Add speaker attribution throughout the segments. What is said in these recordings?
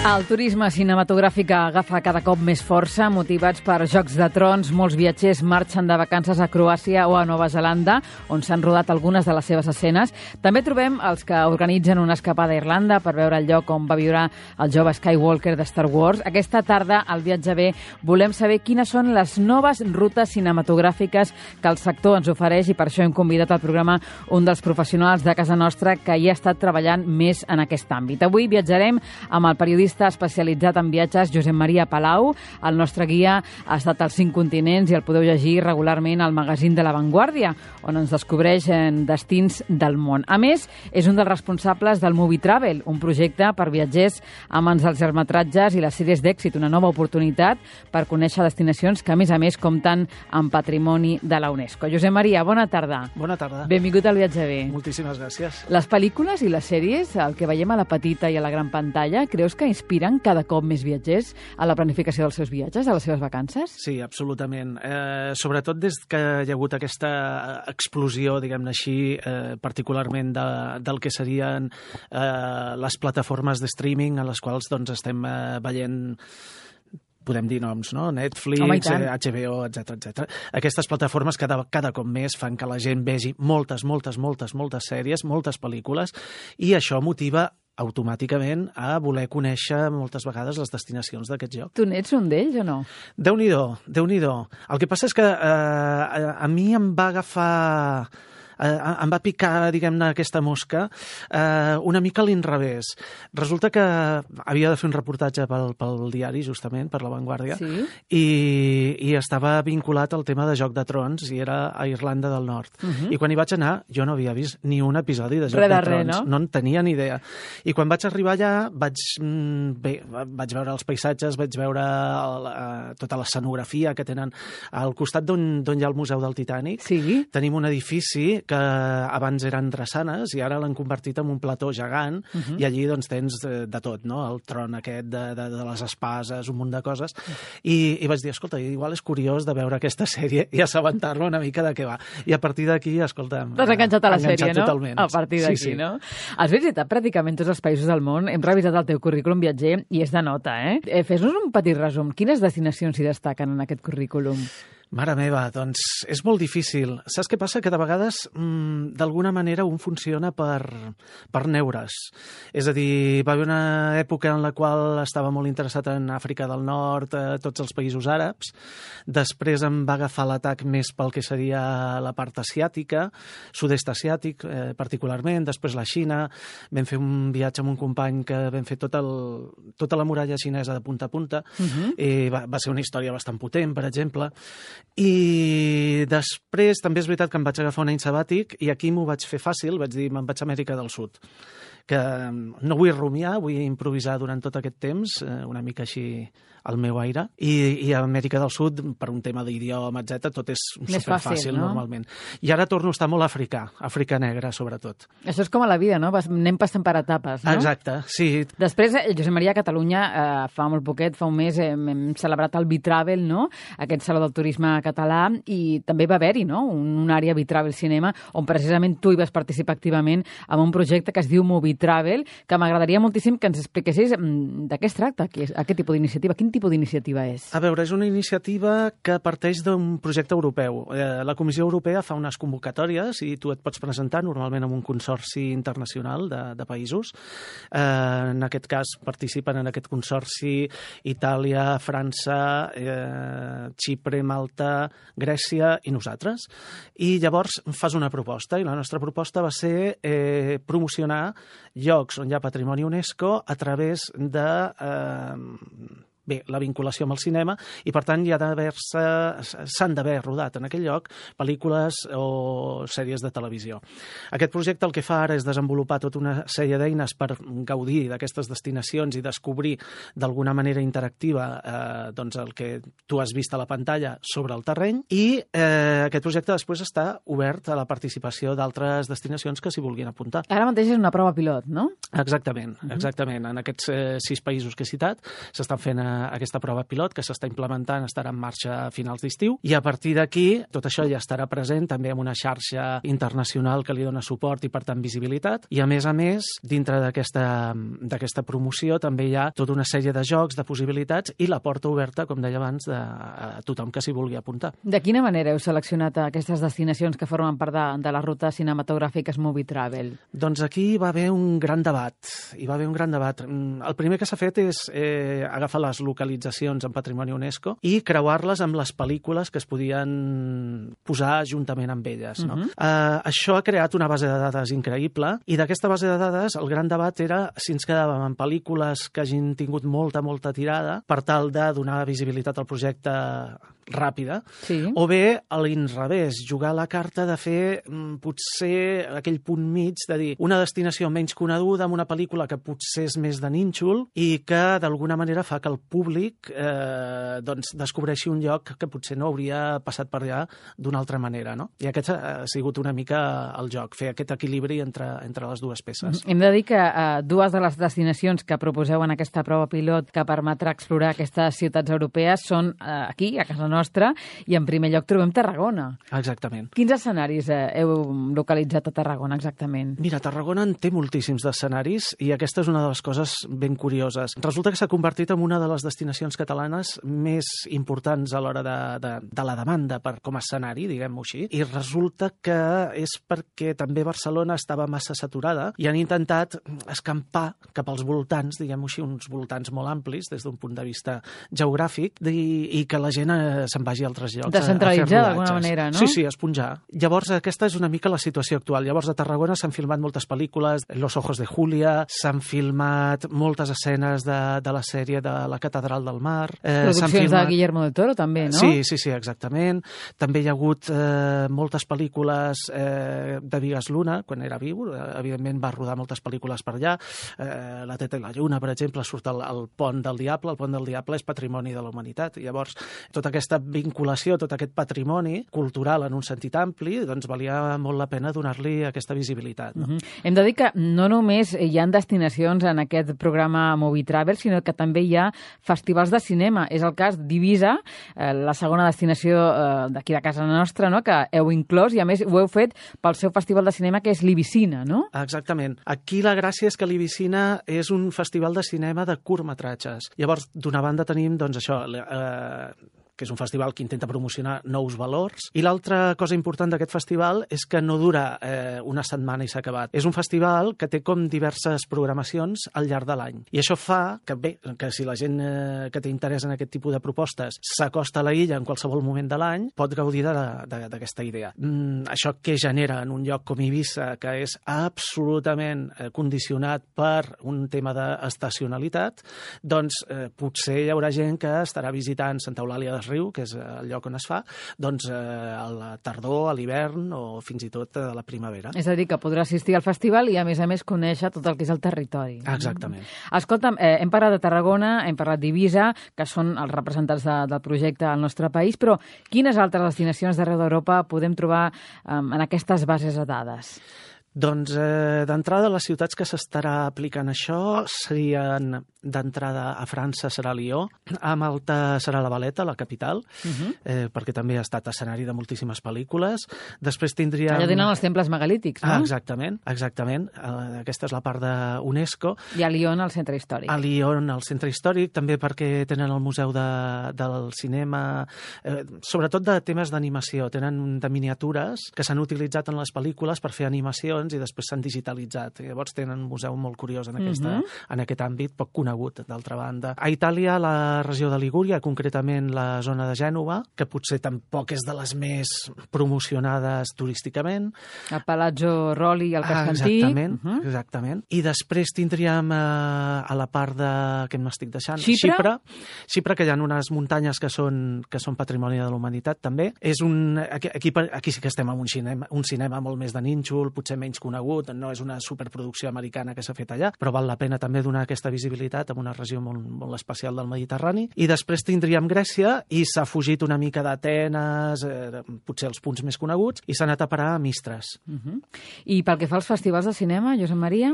Speaker 1: El turisme cinematogràfic agafa cada cop més força, motivats per Jocs de Trons. Molts viatgers marxen de vacances a Croàcia o a Nova Zelanda, on s'han rodat algunes de les seves escenes. També trobem els que organitzen una escapada a Irlanda per veure el lloc on va viure el jove Skywalker de Star Wars. Aquesta tarda, al Viatge B, volem saber quines són les noves rutes cinematogràfiques que el sector ens ofereix, i per això hem convidat al programa un dels professionals de casa nostra que hi ha estat treballant més en aquest àmbit. Avui viatjarem amb el periodista especialitzat en viatges Josep Maria Palau. El nostre guia ha estat als 5 continents i el podeu llegir regularment al magazín de La Vanguardia, on ens descobreix en destins del món. A més, és un dels responsables del Movie Travel, un projecte per viatgers amants dels llargmetratges i les sèries d'èxit, una nova oportunitat per conèixer destinacions que, a més, compten amb patrimoni de la UNESCO. Josep Maria, bona tarda.
Speaker 2: Bona tarda.
Speaker 1: Benvingut al Viatge B.
Speaker 2: Moltíssimes gràcies.
Speaker 1: Les pel·lícules i les sèries, el que veiem a la petita i a la gran pantalla, creus que inspiren cada cop més viatgers a la planificació dels seus viatges, a les seves vacances?
Speaker 2: Sí, absolutament. Sobretot des que hi ha hagut aquesta explosió, diguem-ne així, particularment del que serien les plataformes de streaming a les quals doncs, estem veient, podem dir noms, no? Netflix, HBO, etc. Aquestes plataformes cada cop més fan que la gent vegi moltes sèries, moltes pel·lícules, i això motiva automàticament a voler conèixer moltes vegades les destinacions d'aquest lloc.
Speaker 1: Tu n'ets un d'ells o no?
Speaker 2: Déu-n'hi-do. El que passa és que a mi em va agafar... em va picar, diguem-ne, aquesta mosca una mica a l'inrevés. Resulta que havia de fer un reportatge pel diari, justament, per La Vanguardia,
Speaker 1: sí?
Speaker 2: i estava vinculat al tema de Joc de Trons, i era a Irlanda del Nord. I quan hi vaig anar, jo no havia vist ni un episodi de Joc de Trons. No en tenia ni idea. I quan vaig arribar allà, vaig veure els paisatges, vaig veure tota l'escenografia que tenen al costat d'on hi ha el Museu del Titanic.
Speaker 1: Sí?
Speaker 2: Tenim un edifici que abans eren drassanes i ara l'han convertit en un plató gegant, i allí doncs tens de tot, no? El tron aquest de les espases, un munt de coses, i vaig dir, escolta, igual és curiós de veure aquesta sèrie i assabentar-me una mica de què va. I a partir d'aquí, escolta...
Speaker 1: T'has enganxat a la sèrie, no?
Speaker 2: Totalment.
Speaker 1: A partir d'aquí, sí. No? Has visitat pràcticament tots els països del món, hem revisat el teu currículum viatger i és de nota, eh? Fes-nos un petit resum. Quines destinacions s'hi destaquen en aquest currículum?
Speaker 2: Mare meva, doncs és molt difícil. Saps què passa? Que de vegades, d'alguna manera, un funciona per neures. És a dir, va haver una època en la qual estava molt interessat en Àfrica del Nord, tots els països àrabs. Després em va agafar l'atac més pel que seria la part asiàtica, sud-est asiàtic, particularment, després la Xina. Vam fer un viatge amb un company que vam fer tota la muralla xinesa de punta a punta. Va ser una història bastant potent, per exemple. I després també és veritat que em vaig agafar un any sabàtic i aquí m'ho vaig fer fàcil, vaig dir me'n vaig a Amèrica del Sud, que no vull rumiar, vull improvisar durant tot aquest temps, una mica així al meu aire, i a Amèrica del Sud, per un tema d'idioma, etc., tot és superfàcil, no? Normalment. I ara torno a estar molt Àfrica negra, sobretot.
Speaker 1: Això és com a la vida, no? Anem passant per etapes, no?
Speaker 2: Exacte, sí.
Speaker 1: Després, Josep Maria, a Catalunya, fa molt poquet, fa un mes, hem celebrat el Bitravel, no? Aquest saló del turisme català, i també va haver-hi, no? Una àrea Bitravel Cinema, on precisament tu hi vas participar activament amb un projecte que es diu Movie Travel, que m'agradaria moltíssim que ens expliquessis de què es tracta, aquest tipus d'iniciativa. Quin tipus d'iniciativa és?
Speaker 2: A veure, és una iniciativa que parteix d'un projecte europeu. La Comissió Europea fa unes convocatòries i tu et pots presentar normalment amb un consorci internacional de països. En aquest cas participen en aquest consorci Itàlia, França, Xipre, Malta, Grècia i nosaltres. I llavors fas una proposta, i la nostra proposta va ser promocionar llocs on hi ha patrimoni UNESCO a través de la vinculació amb el cinema, i per tant s'han d'haver rodat en aquell lloc pel·lícules o sèries de televisió. Aquest projecte el que fa ara és desenvolupar tota una sèrie d'eines per gaudir d'aquestes destinacions i descobrir d'alguna manera interactiva doncs el que tu has vist a la pantalla sobre el terreny, i aquest projecte després està obert a la participació d'altres destinacions que s'hi vulguin apuntar.
Speaker 1: Ara mateix és una prova pilot, no?
Speaker 2: Exactament. En aquests 6 països que he citat s'estan fent aquesta prova pilot que s'està implementant, estarà en marxa a finals d'estiu, i a partir d'aquí tot això ja estarà present també en una xarxa internacional que li dona suport i, per tant, visibilitat. I, a més, dintre d'aquesta promoció també hi ha tota una sèrie de jocs, de possibilitats i la porta oberta, com deia abans, a tothom que s'hi vulgui apuntar.
Speaker 1: De quina manera heu seleccionat aquestes destinacions que formen part de les rutes cinematogràfiques Movie Travel?
Speaker 2: Doncs aquí va haver un gran debat. El primer que s'ha fet és agafar les localitzacions en Patrimoni UNESCO i creuar-les amb les pel·lícules que es podien posar juntament amb elles. No? Això ha creat una base de dades increïble i d'aquesta base de dades el gran debat era si ens quedàvem amb pel·lícules que hagin tingut molta tirada per tal de donar visibilitat al projecte ràpida, o bé a l'inrevés, jugar la carta de fer potser aquell punt mig de dir una destinació menys coneguda amb una pel·lícula que potser és més de nínxol i que d'alguna manera fa que el públic descobreixi un lloc que potser no hauria passat per allà d'una altra manera. No? I aquest ha sigut una mica el joc, fer aquest equilibri entre les dues peces.
Speaker 1: Hem de dir que dues de les destinacions que proposeu en aquesta prova pilot que permetrà explorar aquestes ciutats europees són aquí, a casa nostra, i en primer lloc trobem Tarragona.
Speaker 2: Exactament.
Speaker 1: Quins escenaris heu localitzat a Tarragona exactament?
Speaker 2: Mira, Tarragona en té moltíssims d'escenaris i aquesta és una de les coses ben curioses. Resulta que s'ha convertit en una de les destinacions catalanes més importants a l'hora de la demanda com a escenari, diguem-ho així, i resulta que és perquè també Barcelona estava massa saturada i han intentat escampar cap als voltants, diguem-ho així, uns voltants molt amplis des d'un punt de vista geogràfic i que la gent se'n vagi a altres llocs.
Speaker 1: Descentralitzar d'alguna manera, no?
Speaker 2: Sí, esponjar. Llavors, aquesta és una mica la situació actual. Llavors, a Tarragona s'han filmat moltes pel·lícules, Los ojos de Julia, s'han filmat moltes escenes de la sèrie de la Catedral del Mar.
Speaker 1: Produccions de Guillermo del Toro, també, no?
Speaker 2: Sí, exactament. També hi ha hagut moltes pel·lícules de Vigas Luna, quan era viu. Evidentment, va rodar moltes pel·lícules per allà. La Teta i la Lluna, per exemple, surt el Pont del Diable. El Pont del Diable és patrimoni de la humanitat. I llavors, tota aquesta vinculació, tot aquest patrimoni cultural en un sentit ampli, doncs valia molt la pena donar-li aquesta visibilitat. No?
Speaker 1: Hem de dir que no només hi ha destinacions en aquest programa Movie Travel, sinó que també hi ha festivals de cinema. És el cas d'Eivissa, la segona destinació d'aquí de casa nostra, no? Que heu inclòs i a més ho heu fet pel seu festival de cinema que és l'Ibicina, no?
Speaker 2: Exactament. Aquí la gràcia és que l'Ibicina és un festival de cinema de curtmetratges. Llavors, d'una banda tenim, doncs això, que és un festival que intenta promocionar nous valors. I l'altra cosa important d'aquest festival és que no dura una setmana i s'ha acabat. És un festival que té com diverses programacions al llarg de l'any. I això fa que, bé, que si la gent que té interès en aquest tipus de propostes s'acosta a la illa en qualsevol moment de l'any, pot gaudir d'aquesta idea. Això que genera en un lloc com Eivissa, que és absolutament condicionat per un tema d'estacionalitat, doncs potser hi haurà gent que estarà visitant Santa Eulàlia des Riu, que és el lloc on es fa, doncs a la tardor, a l'hivern o fins i tot a la primavera.
Speaker 1: És a dir, que podrà assistir al festival i a més conèixer tot el que és el territori.
Speaker 2: Exactament.
Speaker 1: Escolta'm, hem parlat de Tarragona, hem parlat d'Eivissa, que són els representants del projecte al nostre país, però quines altres destinacions d'arreu d'Europa podem trobar en aquestes bases de dades?
Speaker 2: Doncs d'entrada les ciutats que s'estarà aplicant això serien d'entrada a França serà Lió, a Malta serà la Valeta, la capital, perquè també ha estat escenari de moltíssimes pel·lícules. Després tindríem...
Speaker 1: Allà tenen els temples megalítics, no?
Speaker 2: Exactament. Aquesta és la part d'UNESCO.
Speaker 1: I a Lyon, al centre històric.
Speaker 2: A Lyon, al centre històric, també perquè tenen el museu del cinema, sobretot de temes d'animació. Tenen de miniatures que s'han utilitzat en les pel·lícules per fer animacions i després s'han digitalitzat. Llavors tenen un museu molt curiós en aquest àmbit, poc conegut, d'altra banda. A Itàlia, la regió de Ligúria, concretament la zona de Gènova, que potser tampoc és de les més promocionades turísticament.
Speaker 1: El Palazzo Rolli i el Cascantí.
Speaker 2: Exactament. I després tindríem a la part que m'estic deixant... Xipre, que hi ha unes muntanyes que són patrimoni de la humanitat, també. Aquí sí que estem en un cinema molt més de nínxol, potser menys menys conegut, no és una superproducció americana que s'ha fet allà, però val la pena també donar aquesta visibilitat en una regió molt especial del Mediterrani. I després tindríem Grècia, i s'ha fugit una mica d'Atenes, potser els punts més coneguts, i s'ha anat a parar a Mistres.
Speaker 1: I pel que fa als festivals de cinema, Josep Maria?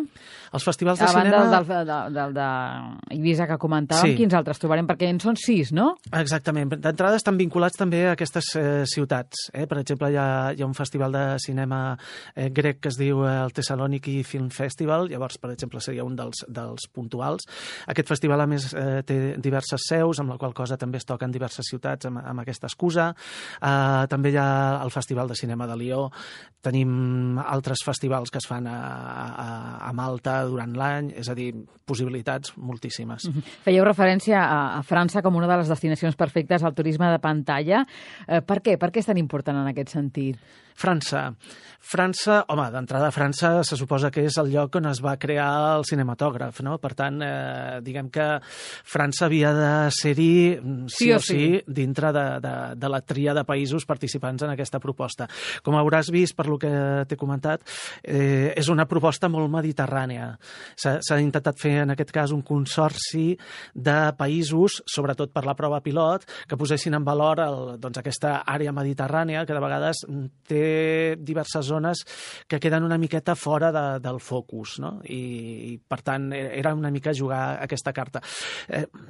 Speaker 2: Els festivals de cinema...
Speaker 1: A banda del d'Eivissa que comentàvem, quins altres trobarem? Perquè en són 6, no?
Speaker 2: Exactament. D'entrada estan vinculats també a aquestes ciutats. Per exemple, hi ha un festival de cinema grec que es diu el Thessaloniki Film Festival, llavors, per exemple, seria un dels puntuals. Aquest festival, a més, té diverses seus, amb la qual cosa també es toquen diverses ciutats amb aquesta excusa. També hi ha el Festival de Cinema de Lió. Tenim altres festivals que es fan a Malta durant l'any, és a dir, possibilitats moltíssimes.
Speaker 1: Fèieu referència a França com una de les destinacions perfectes al turisme de pantalla. Per què? Per què és tan important en aquest sentit?
Speaker 2: França, home, d'entrada França se suposa que és el lloc on es va crear el cinematògraf, no? Per tant, diguem que França havia de ser-hi sí o sí dintre de la tria de països participants en aquesta proposta. Com hauràs vist per lo que t'he comentat, és una proposta molt mediterrània. S'ha intentat fer en aquest cas un consorci de països, sobretot per la prova pilot, que posessin en valor aquesta àrea mediterrània que de vegades té diverses zones que queden una miqueta fora del focus, no? I per tant era una mica jugar aquesta carta.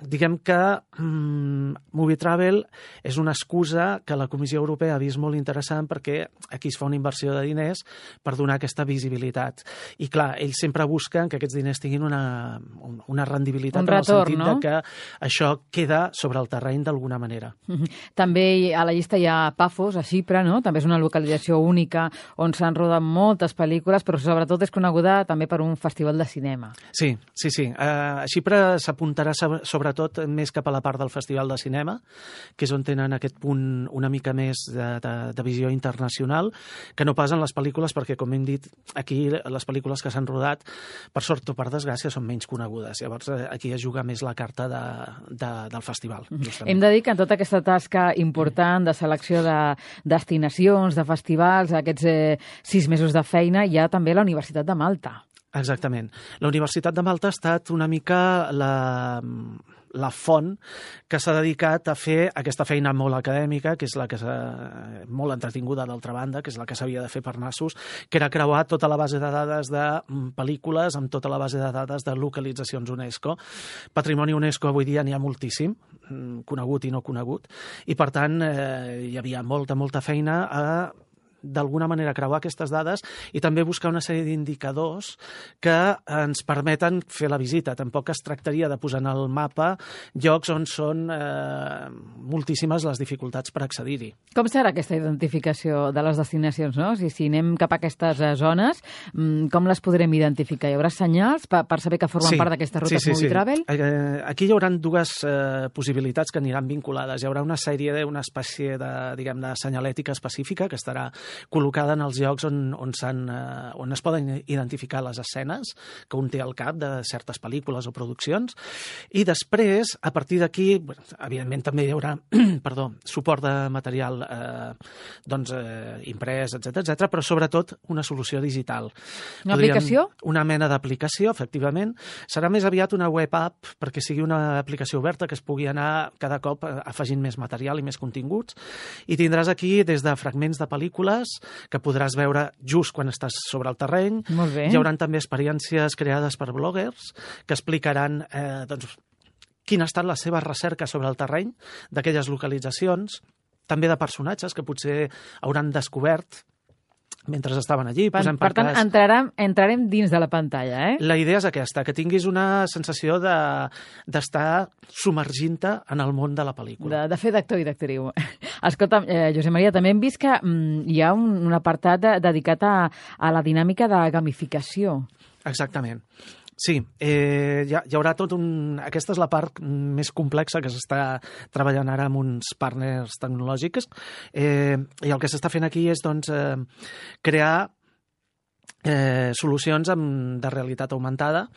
Speaker 2: Diguem que Movie Travel és una excusa que la Comissió Europea ha vist molt interessant perquè aquí es fa una inversió de diners per donar aquesta visibilitat. I clar, ells sempre busquen que aquests diners tinguin una rendibilitat,
Speaker 1: un retorn,
Speaker 2: en el sentit
Speaker 1: no?
Speaker 2: de que això queda sobre el terreny d'alguna manera.
Speaker 1: També a la llista hi ha Pafos, a Xipre, no? També és una localització única on s'han rodat moltes pel·lícules, però sobretot és coneguda també per un festival de cinema.
Speaker 2: Sí. A Xipre s'apuntarà sobretot més cap a la part del festival de cinema, que és on tenen aquest punt una mica més de visió internacional, que no pas en les pel·lícules, perquè, com hem dit, aquí les pel·lícules que s'han rodat, per sort o per desgràcia, són menys conegudes. Llavors, aquí es juga més la carta del festival. Justament.
Speaker 1: Hem de dir que en tota aquesta tasca important de selecció de destinacions, de festivals, aquests 6 mesos de feina, hi ha també la Universitat de Malta.
Speaker 2: Exactament. La Universitat de Malta ha estat una mica la font que s'ha dedicat a fer aquesta feina molt acadèmica, que és la que molt entretinguda d'altra banda, que és la que s'havia de fer per nassos, que era creuar tota la base de dades de pel·lícules amb tota la base de dades de localitzacions UNESCO. Patrimoni UNESCO avui dia n'hi ha moltíssim, conegut i no conegut, i per tant hi havia molta feina a d'alguna manera creuar aquestes dades i també buscar una sèrie d'indicadors que ens permeten fer la visita. Tampoc es tractaria de posar en el mapa llocs on són moltíssimes les dificultats per accedir-hi.
Speaker 1: Com serà aquesta identificació de les destinacions, no? Si anem cap a aquestes zones, com les podrem identificar? Hi haurà senyals per saber que formen part d'aquestes rutes Movie Travel?
Speaker 2: Aquí hi haurà dues possibilitats que aniran vinculades. Hi haurà una espècie de senyalètica específica que estarà col·locada en els llocs on es poden identificar les escenes que un té al cap de certes pel·lícules o produccions, i després, a partir d'aquí, evidentment també hi haurà suport de material imprès, etc, però sobretot una solució digital.
Speaker 1: Una aplicació?
Speaker 2: Una mena d'aplicació, efectivament. Serà més aviat una web app perquè sigui una aplicació oberta que es pugui anar cada cop afegint més material i més continguts, i tindràs aquí des de fragments de pel·lícules que podràs veure just quan estàs sobre el terreny.
Speaker 1: Molt bé.
Speaker 2: Hi haurà també experiències creades per bloggers que explicaran quina ha estat la seva recerca sobre el terreny d'aquelles localitzacions, també de personatges que potser hauran descobert mentre estaven allí.
Speaker 1: Per tant, entrarem dins de la pantalla, eh?
Speaker 2: La idea és aquesta, que tinguis una sensació d'estar submergint-te en el món de la pel·lícula.
Speaker 1: De fer d'actor i d'actriu. Escolta, Josep Maria, també hem vist que hi ha un apartat dedicat a la dinàmica de gamificació.
Speaker 2: Exactament. Sí, hi haurà aquesta és la part més complexa que s'està treballant ara amb uns partners tecnològics, i el que s'està fent aquí és crear solucions de realitat augmentada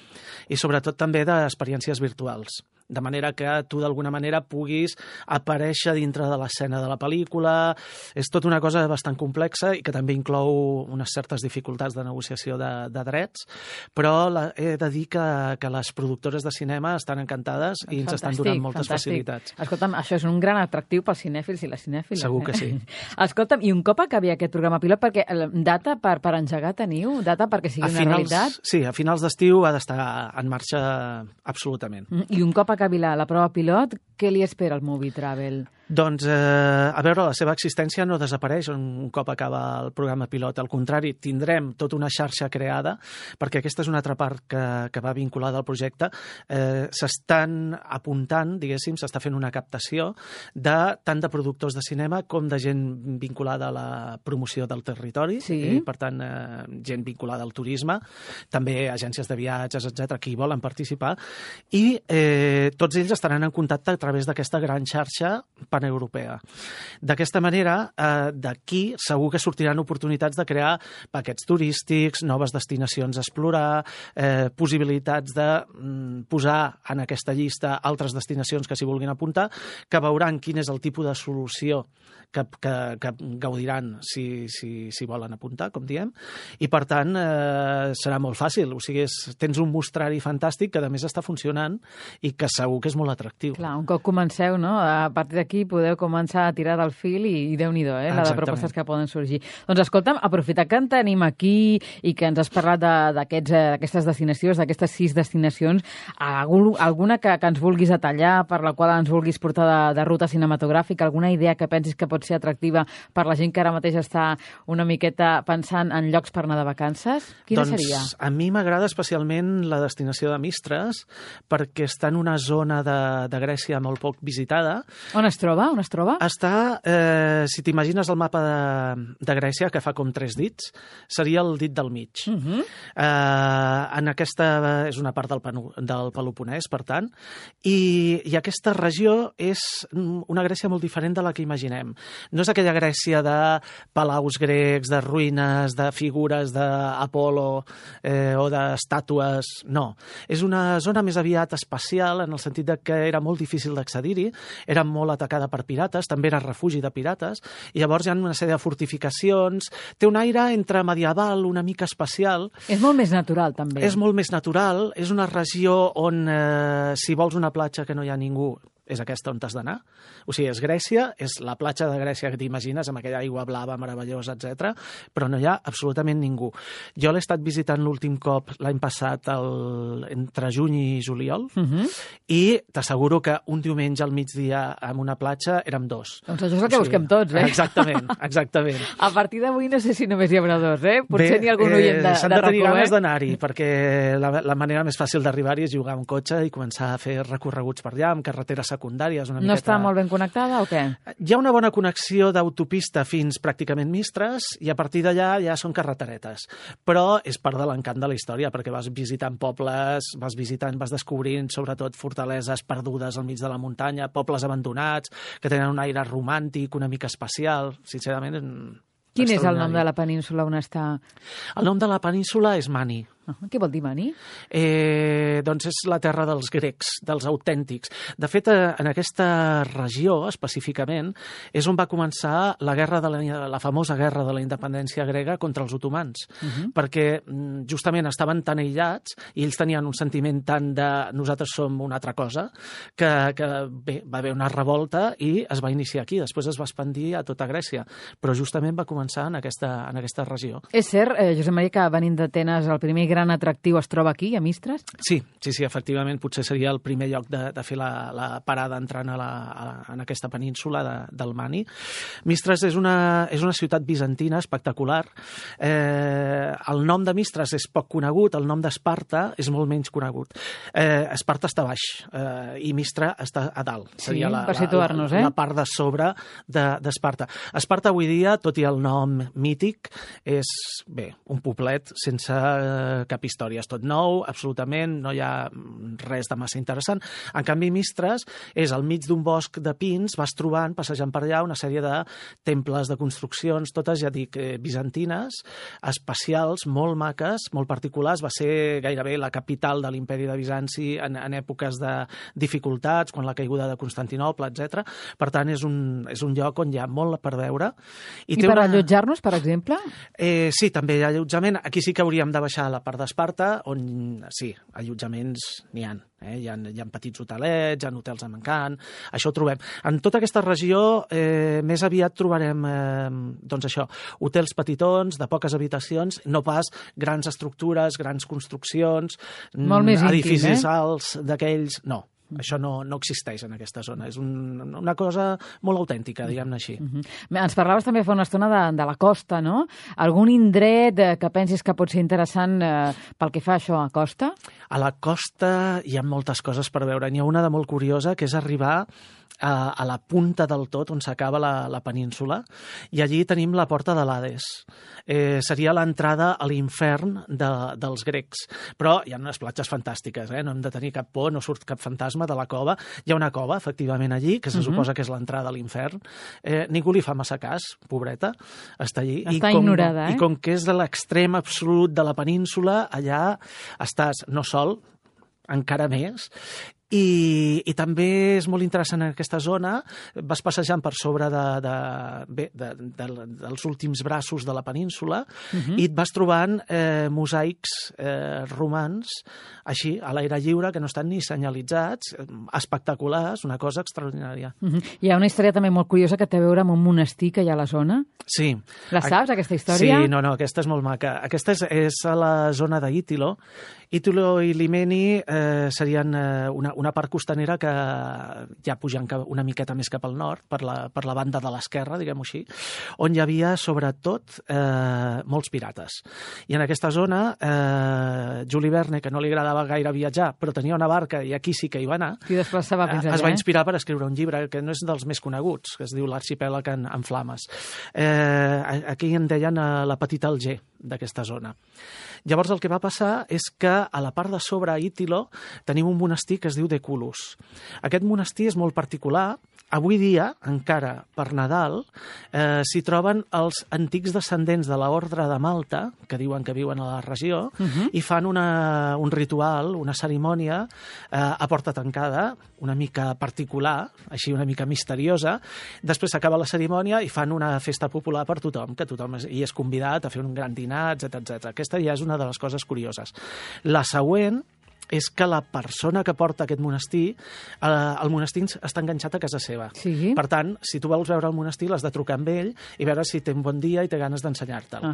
Speaker 2: i sobretot també d'experiències virtuals. de manera que tu d'alguna manera puguis aparèixer dintre de l'escena de la pel·lícula. És tota una cosa bastant complexa i que també inclou unes certes dificultats de negociació de drets, però he de dir que les productores de cinema estan encantades i ens estan donant moltes facilitats.
Speaker 1: Escolta'm, això és un gran atractiu pels cinèfils i les cinèfiles.
Speaker 2: Segur que sí.
Speaker 1: Escolta'm, i un cop acabi aquest programa pilot, perquè data per engegar teniu? Data perquè sigui una realitat?
Speaker 2: Sí, a finals d'estiu ha d'estar en marxa absolutament.
Speaker 1: I un cop acabi la prova pilot, què li espera al Movie Travel?
Speaker 2: Doncs, a veure, la seva existència no desapareix un cop acaba el programa pilot. Al contrari, tindrem tota una xarxa creada, perquè aquesta és una altra part que va vinculada al projecte. S'estan apuntant, diguéssim, s'està fent una captació tant de productors de cinema com de gent vinculada a la promoció del territori, per tant, gent vinculada al turisme, també agències de viatges, etc que hi volen participar, i tots ells estaran en contacte a través d'aquesta gran xarxa paneuropea. D'aquesta manera, d'aquí segur que sortiran oportunitats de crear paquets turístics, noves destinacions a explorar, possibilitats de posar en aquesta llista altres destinacions que s'hi vulguin apuntar, que veuran quin és el tipus de solució que gaudiran si volen apuntar, com diem, i per tant serà molt fàcil. O sigui, tens un mostrari fantàstic que a més està funcionant i que segur que és molt atractiu.
Speaker 1: Clar, un cop comenceu, no? A partir d'aquí podeu començar a tirar del fil i Déu-n'hi-do, la de propostes que poden sorgir. Doncs escolta'm, aprofitar que en tenim aquí i que ens has parlat d'aquestes destinacions, d'aquestes 6 destinacions, alguna que ens vulguis detallar, per la qual ens vulguis portar de ruta cinematogràfica, alguna idea que pensis que pot ser atractiva per la gent que ara mateix està una miqueta pensant en llocs per anar de vacances? Quina seria?
Speaker 2: Doncs a mi m'agrada especialment la destinació de Mistres, perquè està en una zona de Grècia molt poc visitada.
Speaker 1: On es troba?
Speaker 2: Està, si t'imagines el mapa de Grècia, que fa com 3 dits, seria el dit del mig. En aquesta és una part del Peloponès, per tant, i aquesta regió és una Grècia molt diferent de la que imaginem. No és aquella Grècia de palaus grecs, de ruïnes, de figures d'Apolo o d'estàtues, no. És una zona més aviat espacial, en el sentit que era molt difícil d'accedir-hi, era molt atacada per pirates, també era refugi de pirates, i llavors hi ha una sèrie de fortificacions, té un aire entre medieval, una mica espacial.
Speaker 1: És molt més natural, també.
Speaker 2: És molt més natural, és una regió on, si vols una platja que no hi ha ningú, és aquesta on t'has d'anar. O sigui, és Grècia, és la platja de Grècia que t'imagines, amb aquella aigua blava meravellosa, etc. Però no hi ha absolutament ningú. Jo l'he estat visitant l'últim cop l'any passat entre juny i juliol, i t'asseguro que un diumenge al migdia en una platja érem 2.
Speaker 1: Doncs això és el que busquem tots,
Speaker 2: Exactament. A
Speaker 1: partir d'avui no sé si només hi haurà 2, Potser n'hi ha algun oient de
Speaker 2: s'han de tenir ganes d'anar-hi, perquè la manera més fàcil d'arribar-hi és jugar un cotxe i començar a fer recorreguts per allà, amb carreteres secundàries.
Speaker 1: No està molt ben connectada o què?
Speaker 2: Hi ha una bona connexió d'autopista fins pràcticament Mistres i a partir d'allà ja són carreteretes. Però és part de l'encant de la història, perquè vas visitant pobles, vas descobrint sobretot fortaleses perdudes al mig de la muntanya, pobles abandonats, que tenen un aire romàntic, una mica espacial. Sincerament,
Speaker 1: quin és el nom de la península on està?
Speaker 2: El nom de la península és Mani.
Speaker 1: Què vol dir Mani?
Speaker 2: Doncs és la terra dels grecs, dels autèntics. De fet, en aquesta regió, específicament, és on va començar la famosa guerra de la independència grega contra els otomans, perquè justament estaven tan aïllats i ells tenien un sentiment tan de nosaltres som una altra cosa, que bé, va haver una revolta i es va iniciar aquí. Després es va expandir a tota Grècia, però justament va començar en aquesta regió.
Speaker 1: És cert, Josep Maria, que venint d'Atenes el primer gran atractiu es troba aquí, a Mistres?
Speaker 2: Sí, efectivament, potser seria el primer lloc de fer la parada entrant en aquesta península del Mani. Mistres és una ciutat bizantina espectacular. El nom de Mistres és poc conegut, el nom d'Esparta és molt menys conegut. Esparta està a baix i Mistra està a dalt. Seria
Speaker 1: per situar-nos,
Speaker 2: la part de sobre d'Esparta. Esparta avui dia, tot i el nom mític, és un poblet sense cap història. És tot nou, absolutament, no hi ha res de massa interessant. En canvi, Mistres és al mig d'un bosc de pins, vas trobant, passejant per allà, una sèrie de temples, de construccions, totes, ja dic, bizantines, espacials, molt maques, molt particulars. Va ser gairebé la capital de l'imperi de Bizanci en èpoques de dificultats, quan la caiguda de Constantinoble, etc. Per tant, és un lloc on hi ha molt per veure.
Speaker 1: I per allotjar-nos, per exemple?
Speaker 2: Sí, també hi ha allotjament. Aquí sí que hauríem de baixar a la part d'Esparta, on sí, allotjaments n'hi ha. Hi ha petits hotelets, hi ha hotels amb encant, això ho trobem. En tota aquesta regió més aviat trobarem doncs això, hotels petitons, de poques habitacions, no pas grans estructures, grans construccions,
Speaker 1: molt més
Speaker 2: edificis
Speaker 1: íntim,
Speaker 2: alts d'aquells... No. Això no existeix en aquesta zona. És una cosa molt autèntica, diguem-ne així.
Speaker 1: Ens parlaves també fa una estona de la costa, no? Algun indret que pensis que pot ser interessant pel que fa això a costa?
Speaker 2: A la costa hi ha moltes coses per veure. N'hi ha una de molt curiosa, que és arribar a la punta del tot, on s'acaba la península, i allí tenim la porta de l'Hades. Seria l'entrada a l'infern dels grecs. Però hi ha unes platges fantàstiques, no hem de tenir cap por, no surt cap fantasma de la cova. Hi ha una cova, efectivament, allí, que se suposa que és l'entrada a l'infern. Ningú li fa massa cas, pobreta, està allí.
Speaker 1: Està ignorada,
Speaker 2: I com que és de l'extrem absolut de la península, allà estàs no sol, encara més, i també és molt interessant en aquesta zona, vas passejant per sobre dels últims braços de la península i et vas trobant mosaics romans, així, a l'aire lliure, que no estan ni senyalitzats, espectaculars, una cosa extraordinària.
Speaker 1: Hi ha una història també molt curiosa que té a veure amb un monestir que hi ha a la zona.
Speaker 2: Sí.
Speaker 1: La saps, aquesta història?
Speaker 2: Sí, no, aquesta és molt maca. Aquesta és a la zona d'Ítilo. Ítilo i Limeni serien una part costanera que ja pujant una miqueta més cap al nord, per la banda de l'esquerra, diguem-ho així, on hi havia, sobretot, molts pirates. I en aquesta zona, Juli Verne, que no li agradava gaire viatjar, però tenia una barca i aquí sí que hi va anar, es va inspirar per escriure un llibre que no és dels més coneguts, que es diu L'arxipèlag en flames. Aquí en deien la petita Alger d'aquesta zona. Llavors el que va passar és que a la part de sobre, a Ítilo, tenim un monestir que es diu Deculus. Aquest monestir és molt particular. Avui dia, encara per Nadal, s'hi troben els antics descendents de l'Ordre de Malta, que diuen que viuen a la regió, i fan un ritual, una cerimònia a porta tancada, una mica particular, així una mica misteriosa. Després s'acaba la cerimònia i fan una festa popular per tothom, que tothom hi és convidat a fer un gran dinar, etc. Aquesta ja és una de les coses curioses. La següent és que la persona que porta aquest monestir, el monestir està enganxat a casa seva.
Speaker 1: Sí.
Speaker 2: Per tant, si tu vols veure el monestir, l'has de trucar amb ell i veure si té un bon dia i té ganes d'ensenyar-te'l.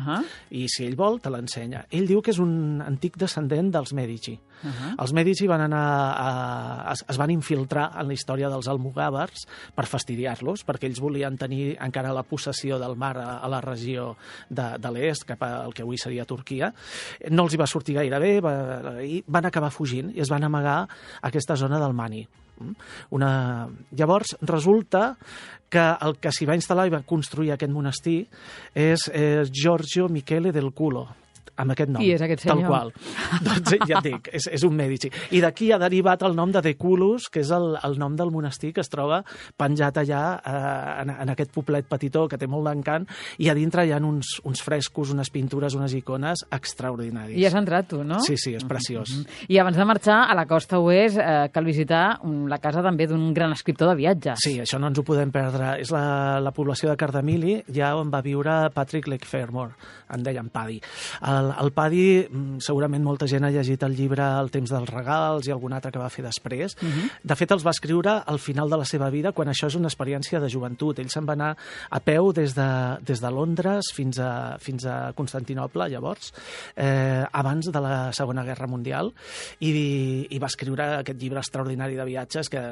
Speaker 2: I si ell vol, te l'ensenya. Ell diu que és un antic descendent dels Mèdici. Els Mèdici es van infiltrar en la història dels almogàvers per fastidiar-los, perquè ells volien tenir encara la possessió del mar a la regió de l'est, cap al que avui seria Turquia. No els hi va sortir gaire bé i van acabar fugint i es van amagar a aquesta zona del Mani. Llavors, resulta que el que s'hi va instal·lar i va construir aquest monestir és Giorgio Michele del Culo, amb aquest nom.
Speaker 1: Qui és aquest senyor?
Speaker 2: Tal qual. Doncs ja et dic, és un Mèdici. I d'aquí ha derivat el nom de Deculus, que és el nom del monestir que es troba penjat allà en aquest poblet petitó que té molt d'encant, i a dintre hi ha uns frescos, unes pintures, unes icones extraordinaris.
Speaker 1: I has entrat tu, no?
Speaker 2: Sí, és preciós.
Speaker 1: I abans de marxar a la costa oest cal visitar la casa també d'un gran escriptor de viatges.
Speaker 2: Sí, això no ens ho podem perdre. És la població de Cardamili, ja on va viure Patrick Lefèvre, en deien Paddy. El Paddy, segurament molta gent ha llegit el llibre El temps dels regals i algun altre que va fer després. De fet, els va escriure al final de la seva vida, quan això és una experiència de joventut. Ell se'n va anar a peu des de Londres fins a Constantinoble, llavors, abans de la Segona Guerra Mundial, i va escriure aquest llibre extraordinari de viatges que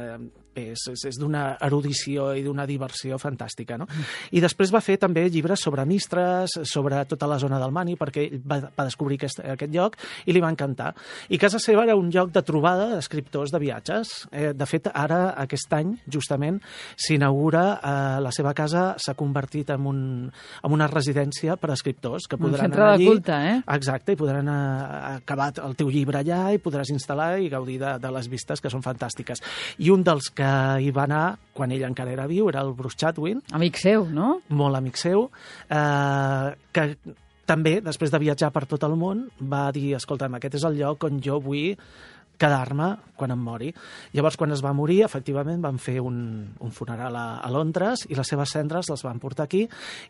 Speaker 2: és d'una erudició i d'una diversió fantàstica, no? I després va fer també llibres sobre Mistres, sobre tota la zona del Mani, perquè ell va descobrir aquest lloc i li va encantar. I casa seva era un lloc de trobada d'escriptors de viatges. De fet, ara, aquest any, justament, s'inaugura la seva casa, s'ha convertit en una residència per a escriptors que podran anar allí.
Speaker 1: Un centre de culte,
Speaker 2: Exacte, i podran acabar el teu llibre allà i podràs instal·lar i gaudir de les vistes, que són fantàstiques. I un dels que hi va anar, quan ell encara era viu, era el Bruce Chatwin.
Speaker 1: Amic seu, no?
Speaker 2: Molt amic seu, que també, després de viatjar per tot el món, va dir, escolta'm, aquest és el lloc on jo vull quedar-me quan em mori. Llavors, quan es va morir, efectivament, van fer un funeral a Londres i les seves cendres les van portar aquí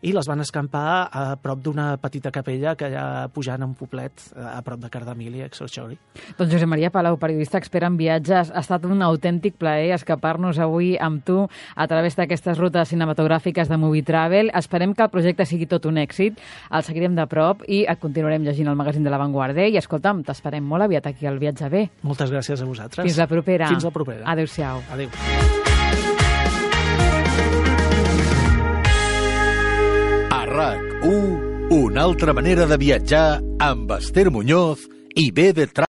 Speaker 2: i les van escampar a prop d'una petita capella que hi ha pujant a un poblet a prop de Cardamili, a Excelsior.
Speaker 1: Doncs Josep Maria Palau, periodista expert en viatges, ha estat un autèntic plaer escapar-nos avui amb tu a través d'aquestes rutes cinematogràfiques de Movie Travel. Esperem que el projecte sigui tot un èxit, el seguirem de prop i et continuarem llegint el magazín de La Vanguardia i, escolta'm, t'esperem molt aviat aquí al Viatge Bé.
Speaker 2: Moltes gràcies a vosaltres.
Speaker 1: Fins la propera.
Speaker 2: Fins la propera.
Speaker 1: Adéu-siau.
Speaker 2: Adéu.
Speaker 3: A RAC1, una altra manera de viatjar amb Esther Muñoz i BD Travel.